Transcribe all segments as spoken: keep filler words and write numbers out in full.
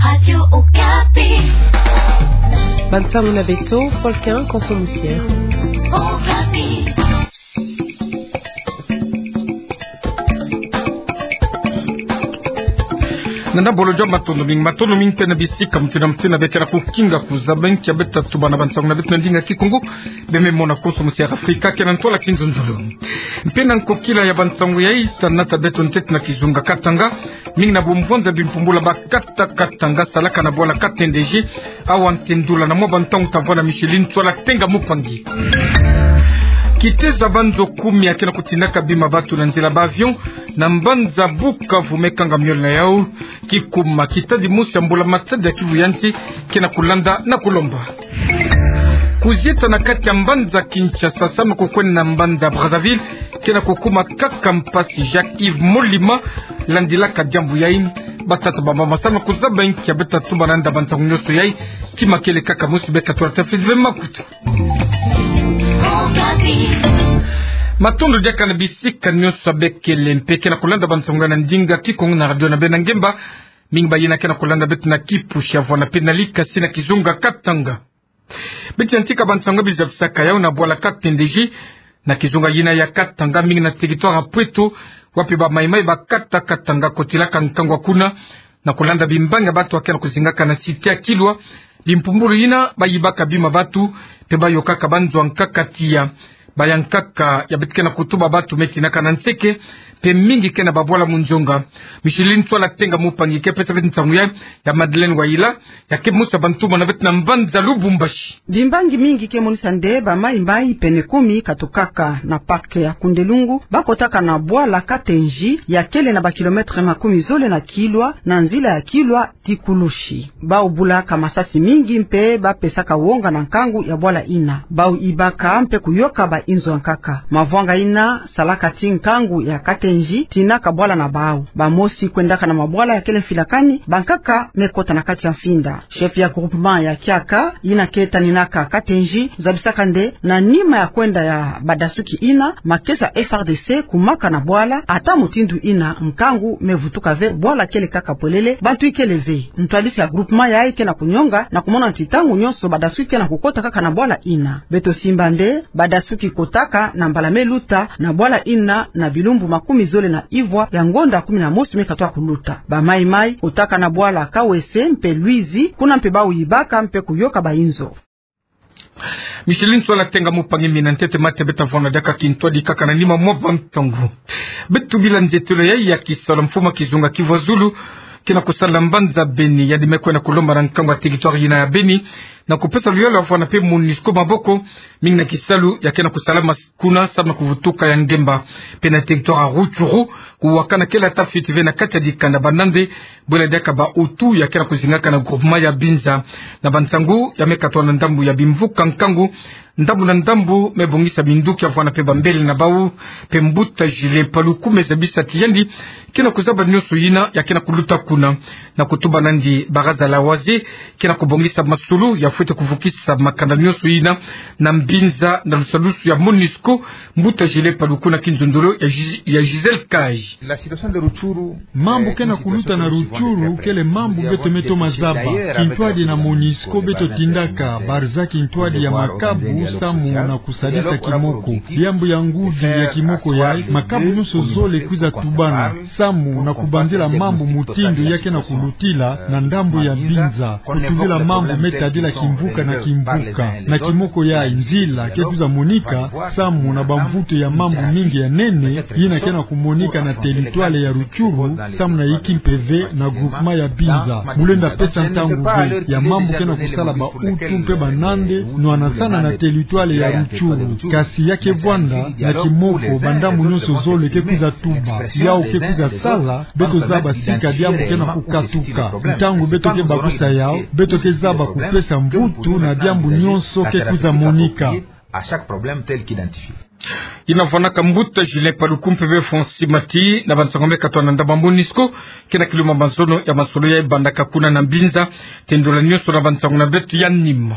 Radio Okapi. Bansango na beto, Volcan Konso Musière. Okapi. Na ndambo lo jamba, matondo mingi, matondo mingi mpe na bisika mutindu na mutindu beke na kukinga kuzaba nki ya beta tubana bansango na beto na ndinga Kikongo. Beme mona Konso Musière Afrika, ke na ntwala kinzonzolo. Mpe na nkokila ya bansango yayi, ta nata beto ntete na kizunga Katanga, mingi na bumvonza bimpumbulu ba kata Katanga salaka na bwala Katendiji, awa ntendula na mwa bantangu ta vwanda Micheline Ntsoala Tenga Mupangi. Kitezo ya banzo kumi ya ke na kutindaka bima bantu na nzila ba avion na mbanza Bukavu me kanga miole na yau. Kikuma kitadi mosi ya mbula-matadi ya Kivu ya nsi ke na kulanda na kulomba. Kuzieta na kati ya mbanza Kinshasa samu kukwenda na mbanza Brazzaville ke na kukuma kaka mpasi. Jacques Yves Molima landilaka diambu yayi. Batata, bamama, samu kuzaba nki ya beta tubana nda bansango nyonso yayi, kima kele kaka mosi, beka twala tafiti ve makutu. Matondo diaka na bisika nyonso bekele mpe ke na kulanda bansango ya na ndinga Kikongo na radio na beno na ngemba. Mingi bayina ke na kulanda beto na kipusi ya vwanda mpe na likasi na kizunga Katanga. Beto yantika bansango bizabisaka yau na bwala Katendiji, na kizunga yina ya Katanga, mingi na territoire ya Pweto, wapi ba Maï-Maï ba kata Katanga kotilaka nkangu kuna, na kulanda bimbangi ya bantu ya ke na kuzingaka na cité ya Kilwa. Bimpumbulu yina bayibaka bima bantu, mpe bayokaka banzo ya nkaka tiya. Ba ya nkaka ya beto ke na kutuba bantu me tinaka na nseke, mpe mingi ke na babwala munzonga. Micheline Ntsoala Tenga Mupangi ke pesa beto nsangu ya, ya Madeleine Wayila, ya ke mosi ya bantu bana beto na mbanza Lubumbashi. Bimbangi mingi ke monisa nde ba Maï-Maï pene kumi katukaka na parc ya Kundelungu, bakotaka na bwala Katendiji, ya kele na ba kilomètre makumi zole na Kilwa, na nzila ya Kilwa ti Kulushi. Bau bulaka masasi mingi mpe bapesaka wonga na nkangu ya bwala yina. Bau yibaka mpe kuyoka ba inzo ya nkaka. Mavwanga yina salaka ti nkangu ya Katendiji tinaka bwala na bau. Bamosi kwendaka na mabwala ya kele mfilakani, bankaka me kota na kati ya mfinda. Chef ya groupement ya Kiaka, yina ke taninaka Katendiji, zabisaka nde na nima ya kwenda ya badasuki yina, makesa F R D C kumaka na bwala, ata mutindu yina nkangu me vutuka ve, bwala kele kaka pwelele, bantu ikele ve. Ntwadisi ya groupement yayi ke na kunyonga na kumona ti ntangu nyonso badasuki ke na kukota kaka na bwala yina. Beto simba nde badasuki kotaka na mbala me luta na bwala yina na bilumbu makumi zole na ivwa ya ngonda kumi na mosi me katuka kuluta. Ba Maï-Maï kotaka na bwala Kawese mpe Lwizi, kuna mpe bau yibaka mpe kuyoka ba inzo. Micheline Ntsoala Tenga Mupangi, mina ntete mate beta vwanda diaka kintwadi kaka na nima mwa bantangu. Beto bila nzetelo yayi ya kisalu, mfumu ya kizunga Kivu ya Zulu ke na kusala mbanza Beni, yandi me kwenda kulomba na nkangu ya territoire yina ya Beni, na kupesa luyalu ya vwanda mpe MONUSCO maboko, mingi na kisalu ya ke na kusala mas- kuna samu na kuvutuka ya ngemba. Mpe na territoire ya Rutshuru, kuwakana kele ata fiti ve na kati ya dikanda, banda nde bwela diaka ba Hutu ya ke na kuzingaka na groupement ya Binza. Na bansangu ya me katuka na ndambu ya bimvuka nkangu, ndambu na ndambu me bongisa minduki ya vwanda mpe bambele na bau. Mpe mbuta Julien Paluku me zabisa ti yandi ke na kuzaba nyonso yina ya ke na kuluta kuna, na kutuba nandi baraza la waziri ke na kubongisa masolo ya fwete kuvukisa makanda nyonso yina na Binza na lusalusu ya MONUSCO. Mbuta Julien Paluku na kinzonzolo ya Gis-, ya Gisèle Kayi. Mambu ke na kuluta na Rutshuru kele mambu beto me toma zaba. Kintwadi na MONUSCO beto tindaka barza kintwadi ya makabu samu na kusadisa kimoko. Diambu ya nguvi ya kimoko yayi, makabu nyonso zole kwiza tubana samu na kubanzila mambu mutindu ya ke na kulutila na ndambu ya Binza, kutuvila mambu me tadila kimvuka na kimvuka. Na kimoko yayi, nzila ke kwiza monika samu na bamvutu ya mambu mingi ya nene yina ke na kumonika na territoire ya Rutshuru, samu na yinki mpe ve na groupement ya Binza. Mu lenda pesa ntangu ve ya mambu ke na kusala ba Hutu mpe bana nde nwana sana na territoire ya Rutshuru. Kasi ya ke vwanda na kimoko, bandambu nyonso zole ke kwiza tuba. Yau ke kwiza sala beto zaba sika diambu ke na kukatuka. Ntangu beto ke bakusa yau, beto ke zaba kupesa mvutu na diambu nyonso ke kwiza monika. Yina vwanaka mbuta Julien Paluku mpe be Francis Mati na bansangu me katuka na ndambu ya MONUSCO ke na kiluma mazono ya masolo ya bandaka kuna na Binza. Tendula nyonso na bansangu na beto ya nima.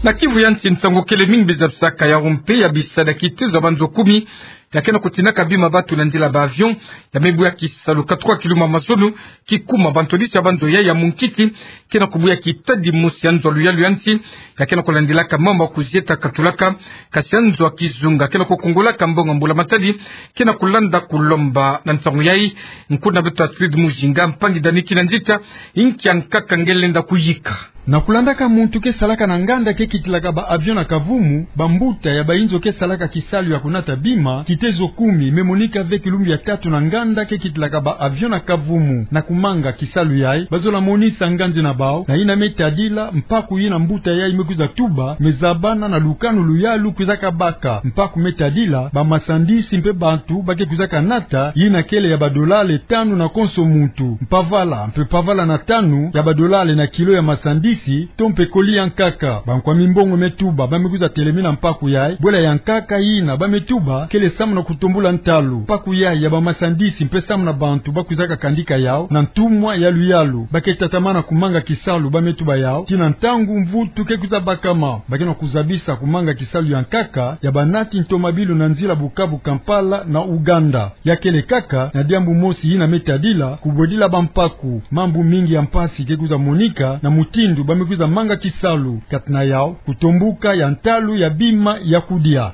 Na Kivu ya nsi, nsangu kele mingi bizabisaka yau mpe ya bisada kitezo ya banzo kumi ya ke na kutinaka bima batu na nzila ba avion, ya me buya kisalu katwa kiluma mazono, kikuma ba ntwadisi ya ba nzo ya ya munkiti, ke na kubuya kitadi mosi ya nzo ya luyalu ya nsi, ya ke na kulandilaka mambu ya kuzieta katulaka, kasi ya nzo ya kizunga ke na kukungulaka mbongo ya mbula matadi, ke na kulanda kulomba na nsangu yayi, nkuna beto Astrid Mujinga, mpangi Dani Kinanzita, inki ya nkaka nge lenda kuyika. Na kulandaka muntu ke salaka na nganda ke kitilaka ba avion na kavumu, bambuta ya bayinzo ke salaka kisalu ya kunata bima, kitezo kumi, me monika ve kilumbu ya tatu na nganda ke kitilaka ba avion na kavumu, na kumanga kisalu yayi, bazola monisa nganzi na bawu, na yina me tadila, mpaku yina mbuta yayi me kwiza tuba, me zabana na lukanu luyalu kwizaka baka, mpaku me tadila, ba masandisi mpe bantu ba ke kwizaka nata, yina kele ya ba dolale tanu na konso muntu, mpavala, mpe mpavala na tanu, ya ba dolale na kilo ya masandisi, to mpe koli ya nkaka. Bankwa mimbongo me tuba, ba me kwiza telemina mpaku yayi, bwela ya nkaka yina, ba me tuba, kele samu na kutombula ntalu. Mpaku yayi ya ba masandisi, mpe samu na bantu ba kwizaka kandika yawu, na ntumwa ya luyalu, ba ke tatamana kumanga kisalu, ba me tuba yawu, tii na ntangu mvutu ke kwiza bakama, ba ke na kuzabisa kumanga kisalu ya nkaka, ya banati ntomabilu na nzila Bukavu Kampala na Uganda. Ya kele kaka, na diambu mosi yina me tadila, kubwedila bampaku, mambu mingi ya mpasi ke kwiza monika, na mutindu ba me kwiza manga kisalu, kati na yawu, kutombuka ya ntalu ya bima ya kudia.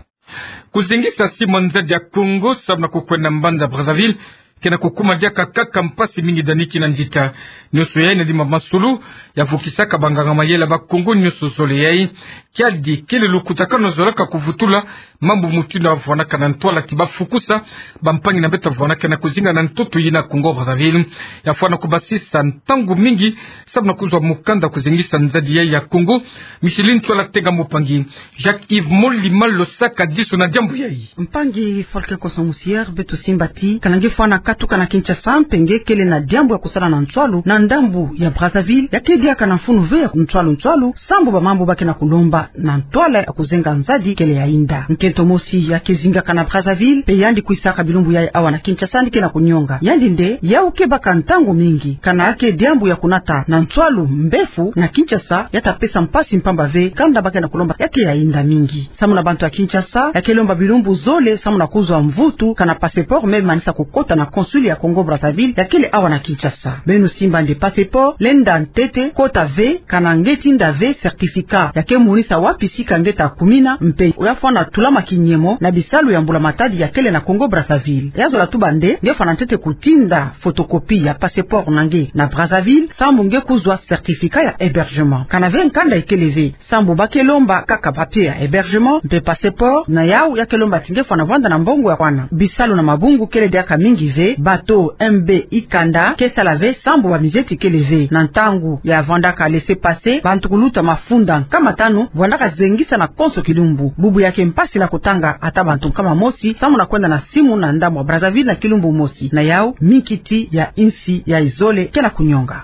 Kuzengisa sima nzadi ya Congo, samu na kukwenda mbanza Brazzaville, ke na kukuma diaka kaka mpasi mingi Dani Kinanzita. Nionso yayi na dima masulu, ya vukisaka banganga mayela ba Congo nionso zole yayi. Kiadi kele lukutakanu zolaka kuvutula, mambu mutindu ya vwanaka na ntwala ti ba fukusa, bampangi na beto ya vwanaka na kuzinga na ntoto yina Congo Brazzaville. Ya fwana kubasisa ntangu mingi, samu na kuzwa mukanda kuzengisa nzadi yayi ya Congo, Micheline Ntwala Tenga Mupangi, Jacques Yves Molima Losaka disu na diambu yayi. Mpangi Volker Koso Musier, beto simba ti, kana nge fwana katuka na Kinshasa, mpe nge kele na diambu ya kusala na nswalu, na ndambu ya Brazzaville, ya ke diaka na mfunu ve ya nswalu nswalu, sambu ba mambu ba ke na kulomba, na ntwala ya kuzenga nzadi kele ya yinda. Nkento mosi ya ke zingaka na Brazzaville, mpe yandi kwisaka bilumbu yayi awa na Kinshasa, yandi ke na kunionga. Yandi nde, yawu ke baka ntangu mingi, kana ke diambu ya kunata, na nswalu mbefu, na Kinshasa, ya ta pesa mpasi mpamba ve, kanda ba ke na kulomba, ya ke ya yinda mingi. Samu na bantu ya Kinshasa, ya ke lomba bilumbu zole, samu na kuzwa mvutu, kana passeport, me manisa kukota na consul ya Congo Brazzaville, ya kele awa na Kinshasa. Beno simba nde passeport, lenda ntete, kota ve, kana nge tinda ve, certificat, ya ke monisa wapi sika nge ta kumina, mpe ya fwana tulama kinyemo, na bisalu ya mbula matadi ya kele na Congo Brazzaville. Ya zola tuba nde, nge fwana ntete kutinda photocopie ya passeport na nge na Brazzaville, sambu nge kuzwa certificat ya hébergement. Kana ve nkanda ikele ve, sambu ba ke lomba kaka papier ya hébergement, mpe passeport, na yawu ya ke lomba ti nge fwana vwanda na mbongo ya kwana. Bisalu na mabungu kele diaka mingi ve, bateau M B Ikanda, ke sala ve, sambu ba mizeti kele ve. Na ntangu ya vwandaka laissez-passer, bantu kuluta mafunda nkama tanu, vwandaka zengisa na konso kilumbu. Bubu ya ke mpasi na kutanga ata bantu nkama mosi, samu na kwenda na simu na ndambu ya Brazzaville na kilumbu mosi. Na yawu, minkiti ya insi ya izole, ke na kunionga.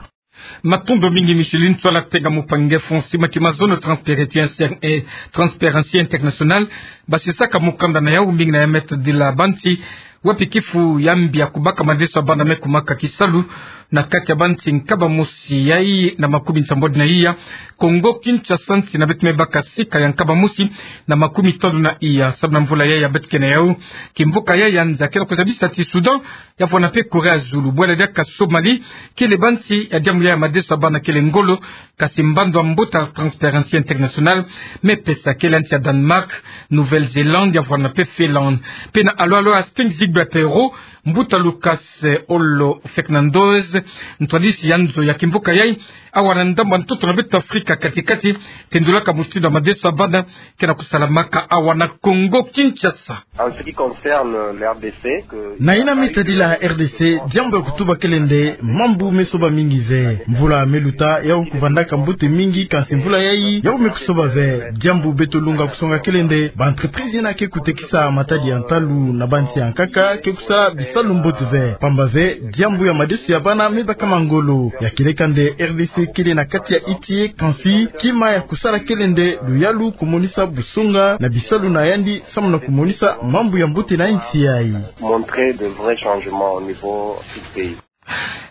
Matondo mingi Micheline Ntwala Tenga Mupangi. Fonsi mati mazono Transparency, eh, Transparency International, basisaka mukanda na yawu mingi na ya me tadila bantu, wapi kifu ya mbi ya kubaka madeso ya bana me kumaka kisalu, na kati ya bantu nkaba mosi yayi na makumi nsambwadi na iya, Congo Kinshasa nsi na beto me baka sika ya nkaba mosi na makumi tanu na iya, samu na mvula yayi ya beto ke na yawu, kimvuka yayi ya nza ke na kuzabisa ti Soudan, ya vwana mpe Corée ya Zulu, bwela diaka Somalie, kele bantu ya diambu ya madeso ya bana kele ngolo, kasi mbandu ya mbuta Transparency International me pesa kele nsi ya Danemark, Nouvelle-Zélande, ya vwana mpe Finlande. Mpe na alo alo Hastings Gilbert Perrault, mbuta Lucas, eh, Olo Fernandes, ntwadisi ya nzo ya kimvuka yayi, awa na ndambu ya ntoto na beto Afrika kati-kati, tendulaka mutindu ya madeso ya bana ke na kusalamaka awa na Congo Kinshasa. En ce qui concerne le R D C, que... Na yina me tadila R D C, diambu ya kutuba kele nde, mambu me soba mingi ve. Mvula me luta, yawu kuvandaka mbote mingi, kasi mvula yayi, yawu me kusoba ve. Diambu beto lunga kusonga kele nde, ba entreprise yina ke kutekisa matadi ya ntalu na bantu ya nkaka, ke kusala bisalu mbote ve. Pamba ve, diambu ya madeso ya bana me baka ma ngolo. Ya kieleka nde R D C kele na kati ya itiye, kansi, kima ya kusala kele nde, luyalu kumonisa busonga na bisalu na yandi, samu na kumonisa mambu ya mbote na nsi yayi. Montrer de vrais changements au niveau du pays.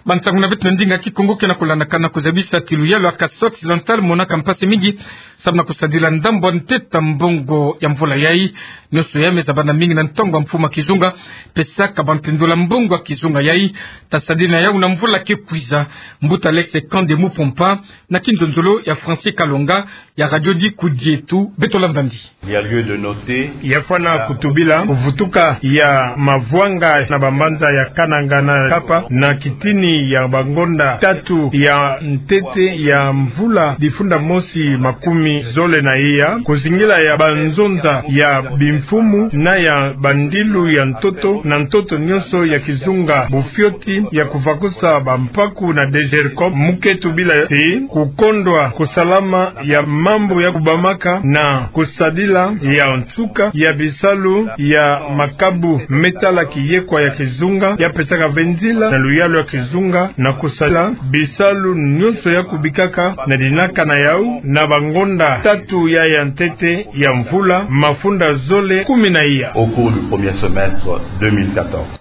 Bansangu na beto na ndinga Kikongo ke na kulandakana kuzabisa ti luyalu ya Kasaï Occidental monaka mpasi mingi samu na kusadila ndambu ya ntete ya mbongo ya mvula yai. Nionso yai me zabana mingi na ntangu ya mfumu ya kizunga, pesaka bantu ndola mbongo ya kizunga yai. Tasadila na yau na mvula ke kwiza. Mbuta Alex Kande Mupompa, na kinzonzolo ya Francis Kalonga ya Radio Dikudia Eto. Beto landa ndi. Il y a lieu de noter. Ya fwana kutubila kuvutuka ya mavwanga na bambanza ya Kananga na Kapa na kitini ya bangonda tatu ya ntete ya mvula difunda mosi makumi zole na iya, kuzingila ya banzonza ya bimfumu na ya bandilu ya ntoto na ntoto nionso ya kizunga, bufioti ya kuvakusa bampaku na DGRCOM, mu ke tubila ti kukondwa kusalama ya mambu ya kubamaka na kusadila ya nsuka ya bisalu ya makabu me tala kiyekwa ya kizunga, ya pesaka ve nzila na luyalu ya kizunga na kusadila bisalu nionso ya kubikaka na dinaka na yau na bangonda tatu ya ya ntete ya mvula mafunda zole kumi na iya. Au cours du premier semestre deux mille quatorze.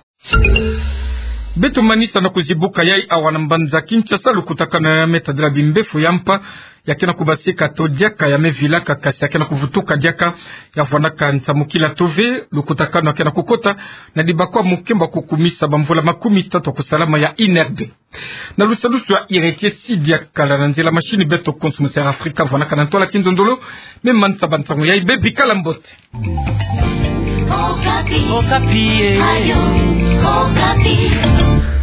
Beto manisa na kuzibuka yai awa na mbanza Kinshasa, lukutakanu ya me tadila bimbefo ya mpa ya ke na kubasika to diaka ya me vilaka, kasi ya ke na kuvutuka diaka. Ya vwanaka nsamukila to ve lukutakanu ya ke na kukota na dibakwa mukemba kukumisa bamvula makumi tatu ya kusalama ya I N R B. Na lusadusu ya ireke si diaka la na nzila machine, beto konso mu Sera Afrika vwanaka na ntwala. Kinzonzolo me manisa bansangu yai, bebikala mbote. Okapi. Okapi, eh. Radio Okapi.